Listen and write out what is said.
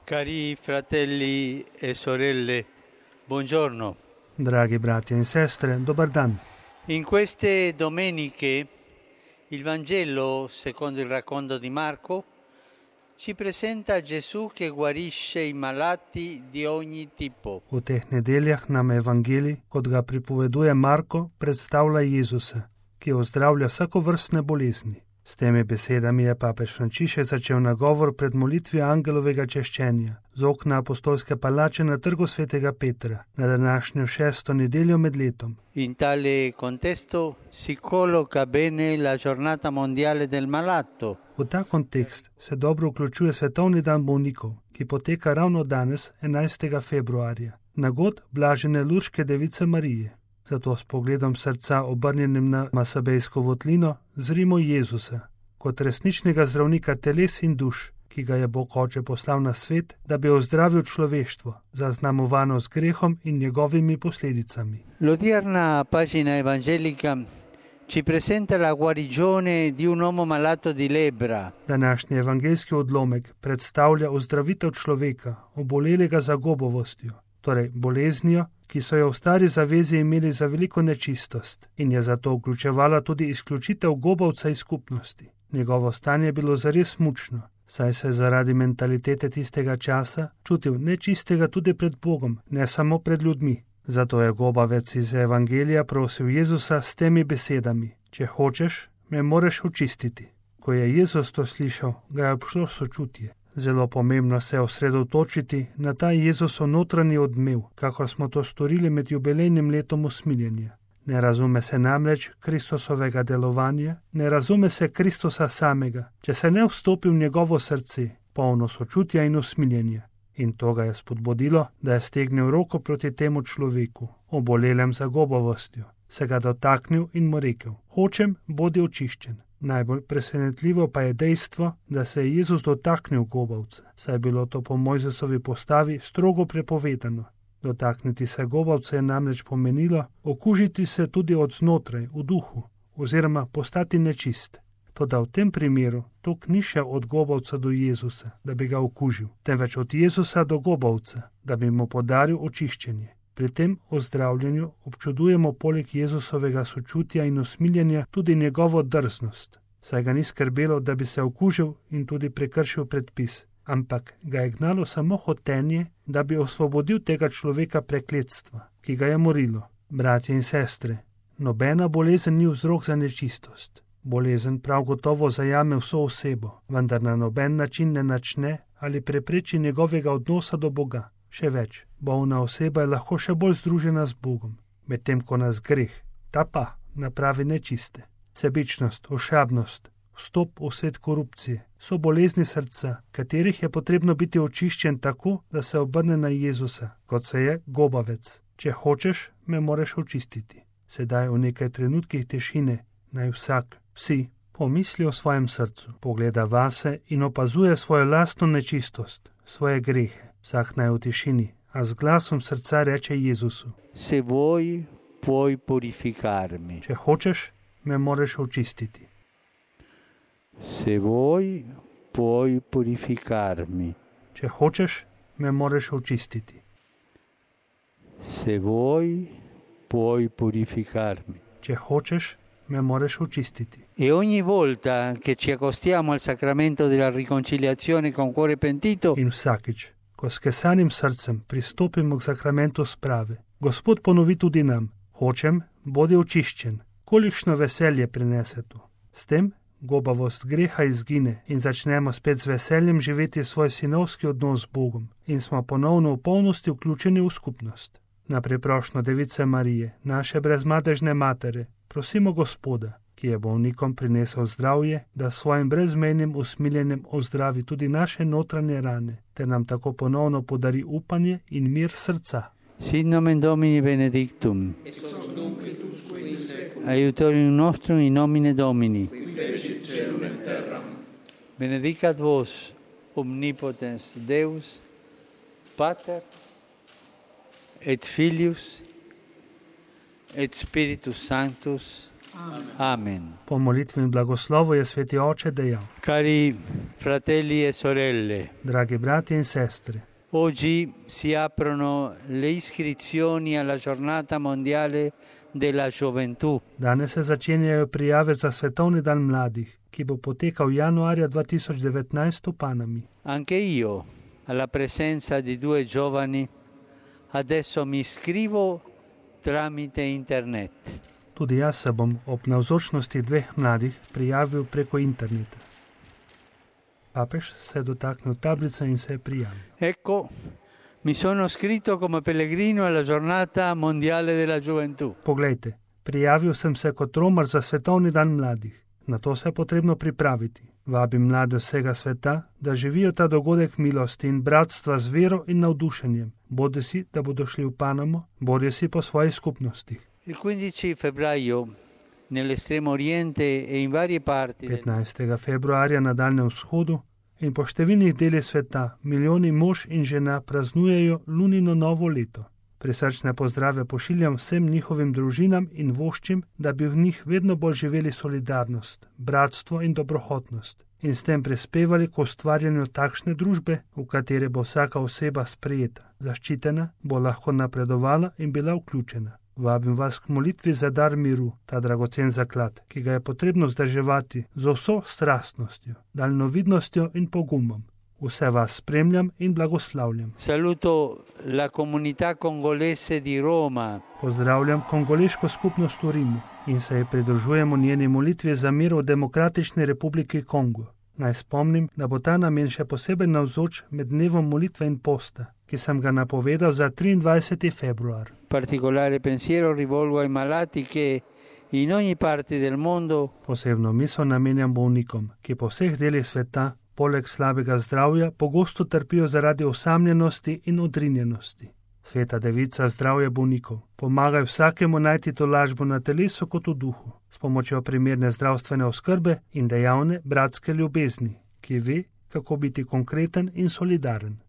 Cari fratelli e sorelle, buongiorno. Dragi brati in sestre, dobar dan. In queste domeniche il Vangelo, secondo il racconto di Marco, ci presenta Gesù che guarisce i malati di ogni tipo. V teh nedeljah nam Evangelij, kot ga pripoveduje Marko, predstavlja Jezusa, ki ozdravlja vsakovrstne bolezni. S temi besedami je papež Frančišek začel nagovor pred molitvijo angelovega češčenja z okna apostolske palače na trgu svetega Petra na današnjo 6. nedeljo med letom. In tale contesto si colloca bene la giornata mondiale del malato. V ta kontekst se dobro vključuje Svetovni dan bolnikov, ki poteka ravno danes, 11. februarja, na god blažene Lurške device Marije. Zato s pogledom srca obrnjenim na Masabejsko votlino zrimo Jezusa, kot resničnega zdravnika teles in duš, ki ga je Bog Oče poslal na svet, da bi ozdravil človeštvo, zaznamovano z grehom in njegovimi posledicami. L'odierna pagina evangelica ci presenta la guarigione di un uomo malato di lebbra. Današnji evangeljski odlomek predstavlja ozdravitev človeka, obolelega za gobovostjo, torej boleznijo, ki so jo v stari zavezi imeli za veliko nečistost in je zato vključevala tudi izključitev gobavca iz skupnosti. Njegovo stanje je bilo zares mučno, saj se je zaradi mentalitete tistega časa čutil nečistega tudi pred Bogom, ne samo pred ljudmi. Zato je gobavec iz Evangelija prosil Jezusa s temi besedami: če hočeš, me moreš očistiti. Ko je Jezus to slišal, ga je obšlo sočutje. Zelo pomembno se je osredotočiti na ta Jezusov notranji odmev, kakor smo to storili med jubilejnim letom usmiljenja. Ne razume se namreč Kristusovega delovanja, ne razume se Kristusa samega, če se ne vstopi v njegovo srce, polno sočutja in usmiljenja. In to ga je spodbudilo, da je stegnil roko proti temu človeku, obolelem za gobavostjo, se ga dotaknil in mu rekel: hočem, bodi očiščen. Najbolj presenetljivo pa je dejstvo, da se je Jezus dotaknil gobavca, saj je bilo to po Mojzesovi postavi strogo prepovedano. Dotakniti se gobavca je namreč pomenilo okužiti se tudi od znotraj, v duhu, oziroma postati nečist. Toda v tem primeru to ni šel od gobavca do Jezusa, da bi ga okužil, temveč od Jezusa do gobavca, da bi mu podaril očiščenje. Pri tem ozdravljanju občudujemo poleg Jezusovega sočutja in usmiljenja tudi njegovo drznost, saj ga ni skrbelo, da bi se okužil in tudi prekršil predpis, ampak ga je gnalo samo hotenje, da bi osvobodil tega človeka prekletstva, ki ga je morilo. Bratje in sestre, nobena bolezen ni vzrok za nečistost. Bolezen prav gotovo zajame vso osebo, vendar na noben način ne načne ali prepreči njegovega odnosa do Boga. Še več, bolna oseba je lahko še bolj združena z Bogom, medtem ko nas greh, ta pa napravi nečiste. Sebičnost, ošabnost, vstop v svet korupcije so bolezni srca, katerih je potrebno biti očiščen tako, da se obrne na Jezusa, kot se je gobavec. Če hočeš, me moreš očistiti. Sedaj v nekaj trenutkih tišine naj vsak, vsi, pomisli o svojem srcu, pogleda vase in opazuje svojo lastno nečistost, svoje grehe. Vsak naj v tišini, a z glasom srca reče Jezusu: Se vuoi, puoi purificarmi. Če hočeš, me moreš očistiti. Se vuoi, puoi purificarmi. Če hočeš, me moreš očistiti. Se vuoi, puoi purificarmi. Če hočeš, me moreš očistiti. E ogni volta che ci accostiamo al sacramento della riconciliazione con cuore pentito, In vsakič, ko s kesanim srcem pristopimo k sakramentu sprave, Gospod ponovi tudi nam: hočem, bodi očiščen. Kolikšno veselje prinese to. S tem gobavost greha izgine in začnemo spet z veseljem živeti svoj sinovski odnos z Bogom in smo ponovno v polnosti vključeni v skupnost. Na priprošnjo Device Marije, naše brezmadežne matere, prosimo Gospoda, ki je bolnikom prinesel zdravje, da s svojim brezmejnim usmiljenjem ozdravi tudi naše notranje rane, ter nam tako ponovno podari upanje in mir srca. Sit nomen Domini benedictum, ex hoc nunc et usque in saeculum, aiutorium nostrum in nomine Domini. qui fecit caelum et terram. Benedicat vos, omnipotens Deus, Pater, et Filius, et Spiritus Sanctus. Amen. Po molitvi in blagoslovu je sveti oče dejal: Cari fratelli e sorelle, Dragi brati in sestre, oggi si aprono le iscrizioni alla giornata mondiale della gioventù. danes se začenjajo prijave za svetovni dan mladih, ki bo potekal januarja 2019 v Panami. Anche io, alla presenza di due giovani, adesso mi iscrivo tramite internet. Tudi jaz se bom ob navzočnosti dveh mladih prijavil preko interneta. Papež se je dotaknil tablice in se je prijavil. Ecco, mi sono iscritto come pellegrino alla giornata mondiale della gioventù. Poglejte, prijavil sem se kot romar za svetovni dan mladih. Na to se je potrebno pripraviti. Vabim mlade vsega sveta, da živijo ta dogodek milosti in bratstva z vero in navdušenjem, bodisi da bodo šli v Panamo, bodisi po svojih skupnostih. Il 15 febbraio, nell'estremo oriente e in varie parti del 15. februarja na Daljnem vzhodu in po številnih delih sveta milijoni mož in žena praznujejo lunino novo leto. Prisrčne pozdrave pošiljam vsem njihovim družinam in voščim, da bi v njih vedno bolj živeli solidarnost, bratstvo in dobrohotnost in s tem prispevali k ustvarjanju takšne družbe, v kateri bo vsaka oseba sprejeta, zaščitena, bo lahko napredovala in bila vključena. Vabim vas k molitvi za dar miru, ta dragocen zaklad, ki ga je potrebno vzdrževati z vso strastnostjo, daljnovidnostjo in pogumom. Vse vas spremljam in blagoslavljam. Saluto la comunità congolese di Roma. Pozdravljam kongoleško skupnost v Rimu in se ji pridružujemo njeni molitvi za mir v Demokratični republiki Kongo. Naj spomnim, da bo ta namen še posebej navzoč med dnevom molitve in posta, ki sem ga napovedal za 23. februar. Particolare pensiero rivolgo ai malati che in ogni parte del mondo Posebno misel namenjam bolnikom, ki po vseh delih sveta poleg slabega zdravja pogosto trpijo zaradi osamljenosti in odrinjenosti. Sveta Devica zdravje bolnikov, pomagaj vsakemu najti tolažbo na telesu kot v duhu, s pomočjo primerne zdravstvene oskrbe in dejavne bratske ljubezni, ki ve, kako biti konkreten in solidaren.